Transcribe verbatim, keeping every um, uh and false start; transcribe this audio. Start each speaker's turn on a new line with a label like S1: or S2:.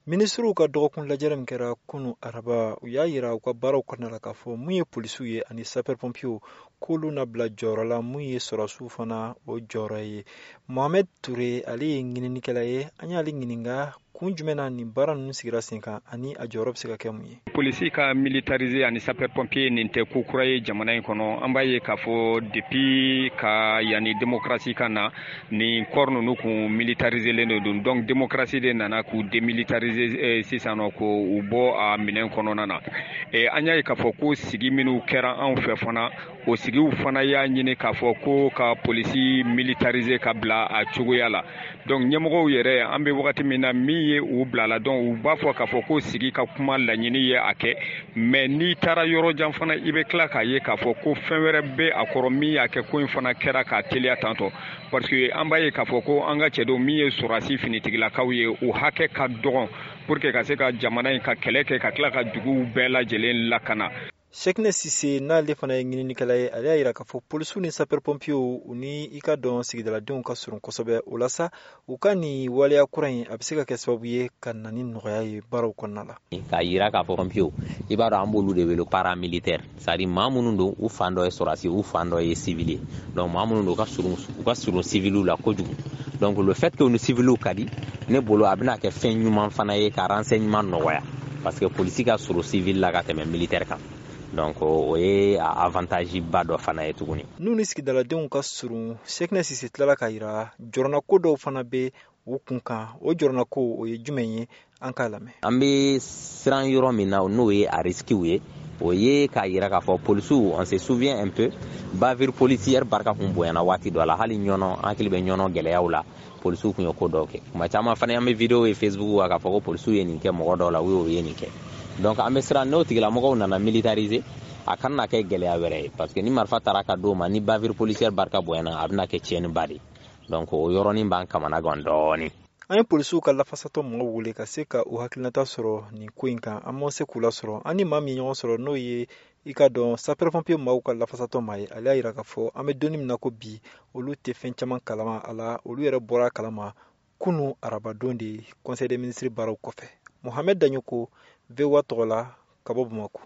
S1: Minisiriw ka dɔgɔkun lajɛrɛ min kɛra kunu araba, u y'a yira u ka baaraw kɔnɔna la k'a fɔ mun ye polisiw ye ani sapeur pompiers, k'olu na bila jɔyɔrɔ la mun ye sɔrɔsiw fana o jɔyɔrɔ ye. Mohamed Toure, ale ye ɲininikɛla ye. An y'ale ɲininka kun jumɛn na nin baara ninnu sigira sen kan ani a jɔyɔrɔ bɛ se ka kɛ mun ye.
S2: Polisi ka militariser ani sapeur pompier, nin tɛ ko kura ye jamana in kɔnɔ. An b'a ye k'a fɔ depuis ka yanni démocratie ka na, nin corps ninnu kun militariselen de don. Donc démocratie de nana k'u démilitariser sisan nɔ, k'u bɔ a minɛn kɔnɔna na. An y'a ye k'a fɔ ko sigi minnu kɛra anw fɛ fana, o sigiw fana y'a ɲini k'a fɔ ko ka polisi militariser ka bila a cogoya la. Donc ɲɛmɔgɔw yɛrɛ, an bɛ wagati min na, min ye u bila la, donc u b'a fɔ k'a fɔ ko sigi ka kuma laɲini ye a kɛ. Mais n'i taara yɔrɔ jan fana, i bɛ tila k'a ye k'a fɔ ko fɛn wɛrɛ bɛ a kɔrɔ min y'a kɛ ko in fana kɛra k'a teliya tantɔ, parce que an b'a ye k'a fɔ ko an ka cɛdenw min ye sɔrɔdasi finitigilakaw ye, u hakɛ ka dɔgɔn pour que ka se ka jamana in ka kɛlɛ kɛ, ka tila ka duguw bɛɛ lajɛlen lakana.
S1: Cheickna Cissé, n'ale fana ye ɲininikɛla ye, ale y'a yira k'a fɔ polisiw ni sapeur pompiers, u ni i ka dɔn sigidaladenw ka surun kosɛbɛ. O la sa, u ka nin waleya kura in, a bɛ se ka kɛ sababu ye ka na ni nɔgɔya ye baaraw kɔnɔna la.
S3: K'a yira k'a fɔ pompiers, i b'a dɔn, an b'olu de wele paramilitaire, c'est à dire maa minnu don, u fan dɔ ye sɔrɔdasi, u fan dɔ ye civil ye. Donc maa minnu don, u ka surun u ka surun civiliw la kojugu. Donc le fait que u ni civiliw ka di, ne bolo a bɛna kɛ fɛn ɲuman fana ye ka renseignement nɔgɔya, parce que polisi ka surun civil la ka tɛmɛ militaire kan. Donc o ye avantage ba dɔ fana ye tuguni.
S1: N'u ni sigidaladenw ka surun, Cheickna Cissé tilala k'a yira jɔrɔnako dɔw fana bɛ u kun kan. O jɔrɔnako, o ye jumɛn ye? An k'a lamɛn.
S3: An bɛ siran yɔrɔ min na, n'o ye a risque ye, o ye k'a yira k'a fɔ polisiw, on se souvient un peu, bavure policière barika kun bonyana waati dɔ la. Hali Ɲɔnɔ, an hakili bɛ Ɲɔnɔ gɛlɛyaw la, polisiw kun ye ko dɔw kɛ. Kuma caman fana, an bɛ vidéo ye Facebook kan k'a fɔ ko polisiw ye nin kɛ mɔgɔ dɔw la, u y'o ye nin kɛ. Donc an bɛ siran n'o tigilamɔgɔw nana militariser, a kana na kɛ gɛlɛya wɛrɛ ye, parce que ni marifa taara ka d'o ma, ni bavure policière barika bonyana, a bɛna kɛ tiɲɛniba de. Donc o yɔrɔnin b'an kamana gan dɔɔni.
S1: An ye polisiw ka lafasatɔ mɔgɔw wele ka se ka u hakilinata sɔrɔ nin ko in kan, an ma se k'u lasɔrɔ. An ni maa min ɲɔgɔn sɔrɔ, n'o ye i ka dɔn sapeur pompier maaw ka lafasatɔ maa ye, ale y'a yira k'a fɔ an bɛ donni min na ko bi, olu tɛ fɛn caman kalama a la. Olu yɛrɛ bɔra a kalama kunu arabadon de, conseil des ministres baaraw kɔfɛ. Mohamed Dagnoko, V O A tɔgɔ la, ka bɔ Bamako.